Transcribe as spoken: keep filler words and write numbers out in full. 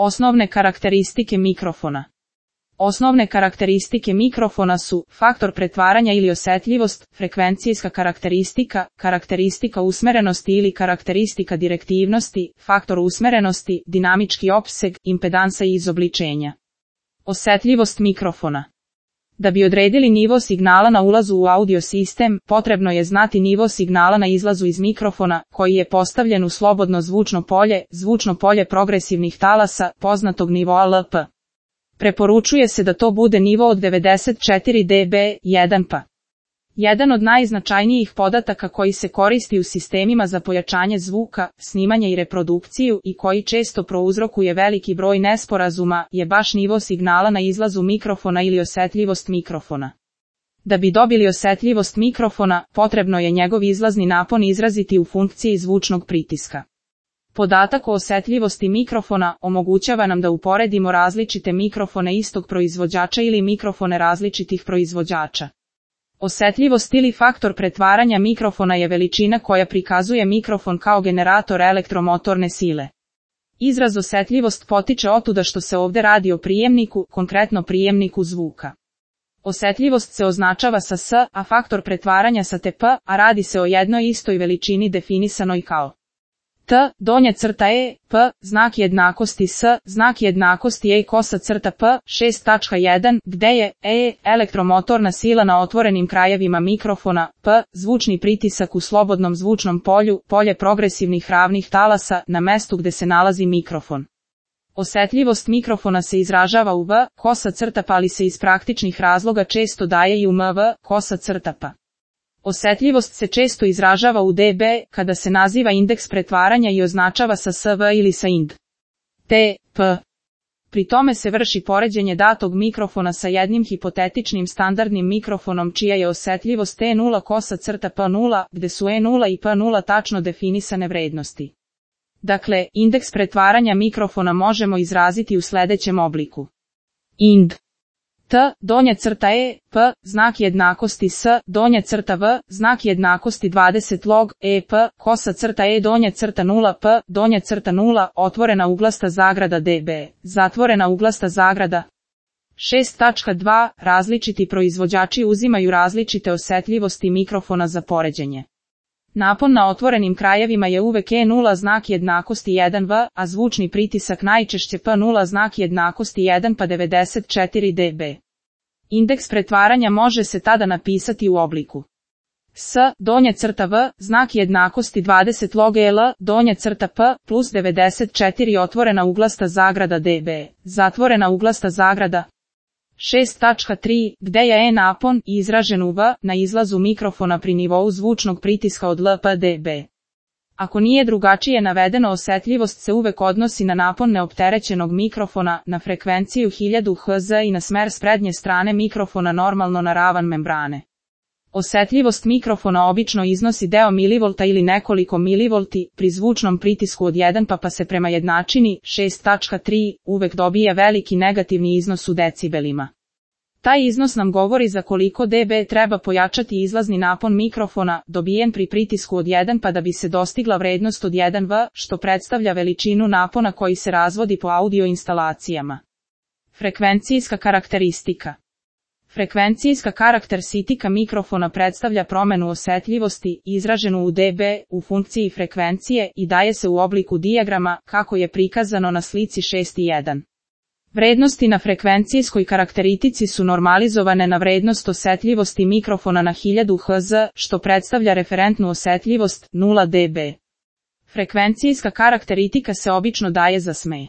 Osnovne karakteristike mikrofona. Osnovne karakteristike mikrofona su faktor pretvaranja ili osjetljivost, frekvencijska karakteristika, karakteristika usmerenosti ili karakteristika direktivnosti, faktor usmerenosti, dinamički opseg, impedansa i izobličenja. Osjetljivost mikrofona. Da bi odredili nivo signala na ulazu u audio sistem, potrebno je znati nivo signala na izlazu iz mikrofona, koji je postavljen u slobodno zvučno polje, zvučno polje progresivnih talasa, poznatog nivoa L P. Preporučuje se da to bude nivo od devedeset četiri decibela, jedan pa. Jedan od najznačajnijih podataka koji se koristi u sistemima za pojačanje zvuka, snimanje i reprodukciju i koji često prouzrokuje veliki broj nesporazuma, je baš nivo signala na izlazu mikrofona ili osjetljivost mikrofona. Da bi dobili osjetljivost mikrofona, potrebno je njegov izlazni napon izraziti u funkciji zvučnog pritiska. Podatak o osjetljivosti mikrofona omogućava nam da uporedimo različite mikrofone istog proizvođača ili mikrofone različitih proizvođača. Osjetljivost ili faktor pretvaranja mikrofona je veličina koja prikazuje mikrofon kao generator elektromotorne sile. Izraz osjetljivost potiče otuda što se ovdje radi o prijemniku, konkretno prijemniku zvuka. Osjetljivost se označava sa S, a faktor pretvaranja sa T P, a radi se o jednoj istoj veličini definisanoj kao T, donja crta E, P, znak jednakosti S, znak jednakosti E kosa crta P, šest tačka jedan, gde je E, elektromotorna sila na otvorenim krajevima mikrofona, P, zvučni pritisak u slobodnom zvučnom polju, polje progresivnih ravnih talasa, na mestu gde se nalazi mikrofon. Osjetljivost mikrofona se izražava u V, kosa crta P, ali se iz praktičnih razloga često daje i u M V, kosa crta P. Osjetljivost se često izražava u decibela, kada se naziva indeks pretvaranja i označava sa S V ili sa ind. T, P. Pri tome se vrši poređenje datog mikrofona sa jednim hipotetičnim standardnim mikrofonom čija je osjetljivost E nula kosa crta P nula, gde su E nula i P nula tačno definisane vrednosti. Dakle, indeks pretvaranja mikrofona možemo izraziti u sljedećem obliku. Ind. T, donja crta E, P, znak jednakosti S, donja crta V, znak jednakosti dvadeset log, E, P, kosa crta E, donja crta nula P, donja crta nula, otvorena uglasta zagrada decibela, zatvorena uglasta zagrada. šest tačka dva. Različiti proizvođači uzimaju različite osjetljivosti mikrofona za poređenje. Napon na otvorenim krajevima je uvek E nula znak jednakosti jedan V, a zvučni pritisak najčešće P nula znak jednakosti jedan pa devedeset četiri decibela. Indeks pretvaranja može se tada napisati u obliku S, donja crta V, znak jednakosti dvadeset log L, donja crta P, plus devedeset četiri otvorena uglasta zagrada decibela, zatvorena uglasta zagrada. šest tačka tri, gde je E napon izražen u V na izlazu mikrofona pri nivou zvučnog pritiska od L P decibela. Ako nije drugačije navedeno, osjetljivost se uvek odnosi na napon neopterećenog mikrofona, na frekvenciju hiljadu hertz i na smer s prednje strane mikrofona normalno na ravan membrane. Osjetljivost mikrofona obično iznosi deo milivolta ili nekoliko milivolti, pri zvučnom pritisku od jedan pa pa se prema jednačini šest tačka tri uvek dobije veliki negativni iznos u decibelima. Taj iznos nam govori za koliko decibela treba pojačati izlazni napon mikrofona, dobijen pri pritisku od jedan pa da bi se dostigla vrednost od jedan V, što predstavlja veličinu napona koji se razvodi po audio instalacijama. Frekvencijska karakteristika. Frekvencijska karakteristika mikrofona predstavlja promenu osjetljivosti, izraženu u decibela, u funkciji frekvencije i daje se u obliku dijagrama, kako je prikazano na slici šest jedan. Vrednosti na frekvencijskoj karakteristici su normalizovane na vrednost osjetljivosti mikrofona na hiljadu hertz, što predstavlja referentnu osjetljivost nula decibela. Frekvencijska karakteristika se obično daje za sme.